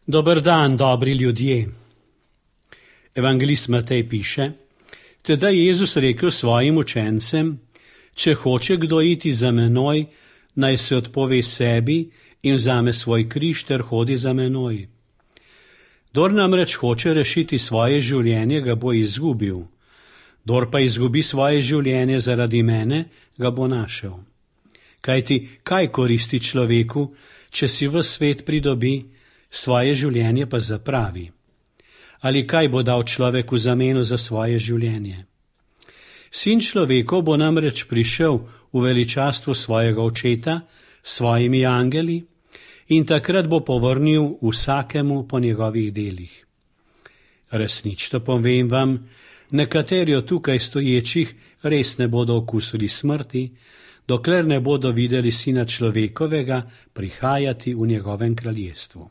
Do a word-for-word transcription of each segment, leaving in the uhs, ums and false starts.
Dober dan, dobri ljudje. Evangelist Matej piše: Teda je Jezus rekel svojim učencem, če hoče kdo iti za menoj, naj se odpove sebi in vzame svoj križ ter hodi za menoj. Dor namreč hoče rešiti svoje življenje, ga bo izgubil. Dor pa izgubi svoje življenje zaradi mene, ga bo našel. Kajti, kaj koristi človeku, če si ves svet pridobi, svoje življenje pa zapravi? Ali kaj bo dal človek v zameno za svoje življenje? Sin človekov bo namreč prišel v veličastvu svojega očeta s svojimi angeli in takrat bo povrnil vsakemu po njegovih delih. Resnično povem vam, nekateri od tukaj stoječih res ne bodo okusili smrti, dokler ne bodo videli Sina človekovega prihajati v njegovem kraljestvu.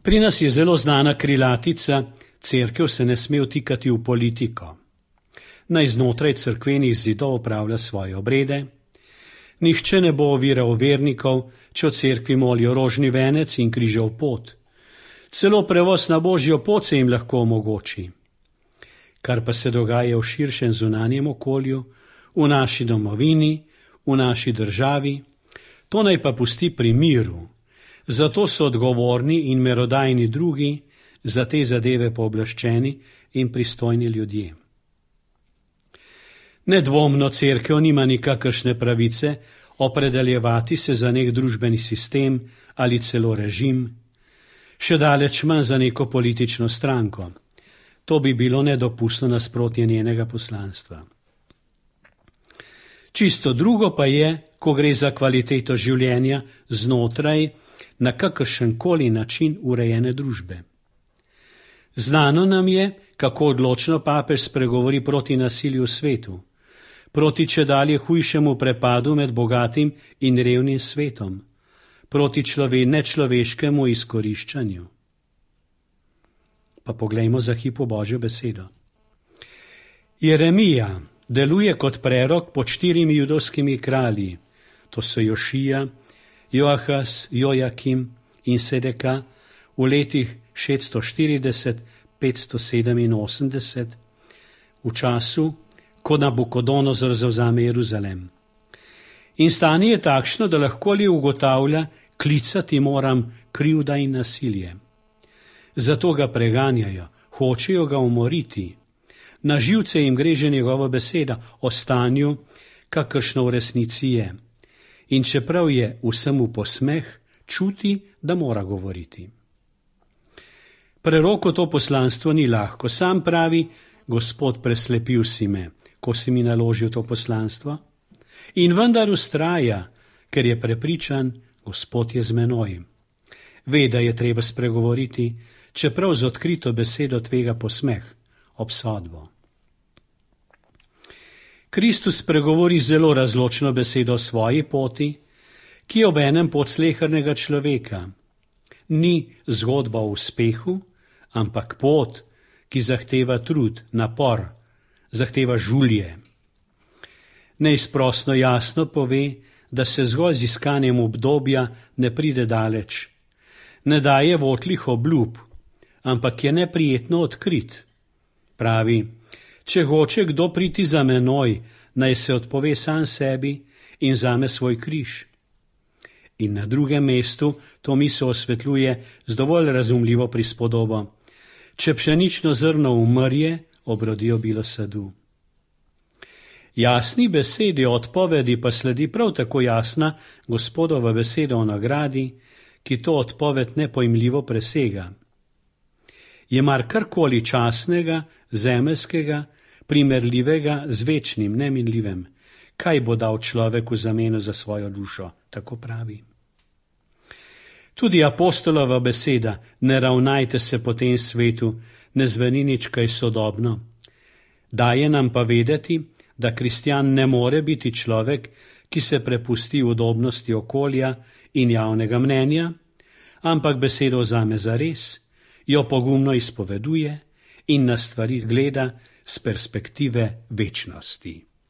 Pri nas je zelo znana krilatica: cerkev se ne sme vtikati v politiko. Naj znotraj cerkvenih zidov opravlja svoje obrede. Nihče ne bo oviral vernikov, če v cerkvi molijo rožni venec in križev pot. Celo prevoz na božjo pot se jim lahko omogoči. Kar pa se dogaja v širšem zunanjem okolju, v naši domovini, v naši državi, to naj pa pusti pri miru. Zato so odgovorni in merodajni drugi, za te zadeve pooblaščeni in pristojni ljudje. Nedvomno cerkev nima nikakršne pravice opredeljevati se za nek družbeni sistem ali celo režim, še daleč manj za neko politično stranko. To bi bilo nedopustno nasprotje njenega poslanstva. Čisto drugo pa je, ko gre za kvaliteto življenja znotraj na kakršenkoli način urejene družbe. Znano nam je, kako odločno papež spregovori proti nasilju v svetu, proti čedalje hujšemu prepadu med bogatim in revnim svetom, proti člove, nečloveškemu izkoriščanju. Pa poglejmo za hip v Božjo besedo. Jeremija deluje kot prerok pod štirimi judovskimi kralji, to so Jošija, Joahaz, Jojakim in Sedeka v letih šeststo štirideset do petsto sedeminosemdeset, v času, ko Nabukodonozor zavzame Jeruzalem. In stanje je takšno, da lahko li ugotavlja, klicati moram krivda in nasilje. Zato ga preganjajo, hočejo ga umoriti. Na živce jim gre že njegova beseda o stanju, kakršno v resnici je. In čeprav je vsemu posmeh, čuti, da mora govoriti. Preroku to poslanstvo ni lahko. Sam pravi: Gospod, preslepil si me, ko si mi naložil to poslanstvo. In vendar vztraja, ker je prepričan, Gospod je z menoj. Ve, da je treba spregovoriti, čeprav z odkrito besedo tvega posmeh, obsodbo. Kristus pregovori zelo razločno besedo o svoji poti, ki je obenem pot slehernega človeka. Ni zgodba o uspehu, ampak pot, ki zahteva trud, napor, zahteva žulje. Neizprosno jasno pove, da se zgolj z iskanjem obdobja ne pride daleč. Ne daje votlih obljub, ampak je neprijetno odkrit. Pravi: če hoče kdo priti za menoj, naj se odpove sam sebi in vzame svoj križ. In na drugem mestu to misel osvetljuje z dovolj razumljivo prispodobo: če pšenično zrno umrje, obrodi obilo sadu. Jasni besedi o odpovedi pa sledi prav tako jasna Gospodova beseda o nagradi, ki to odpoved nepojmljivo presega. Je mar karkoli časnega, zemeljskega, primerljivega z večnim, neminljivem? Kaj bo dal človek v zameno za svojo dušo? Tako pravi. Tudi apostolova beseda: ne ravnajte se po tem svetu, ne zveni nič kaj sodobno. Daje nam pa vedeti, da kristjan ne more biti človek, ki se prepusti udobnosti okolja in javnega mnenja, ampak besedo vzame zares, jo pogumno izpoveduje in na stvari gleda s perspektive večnosti.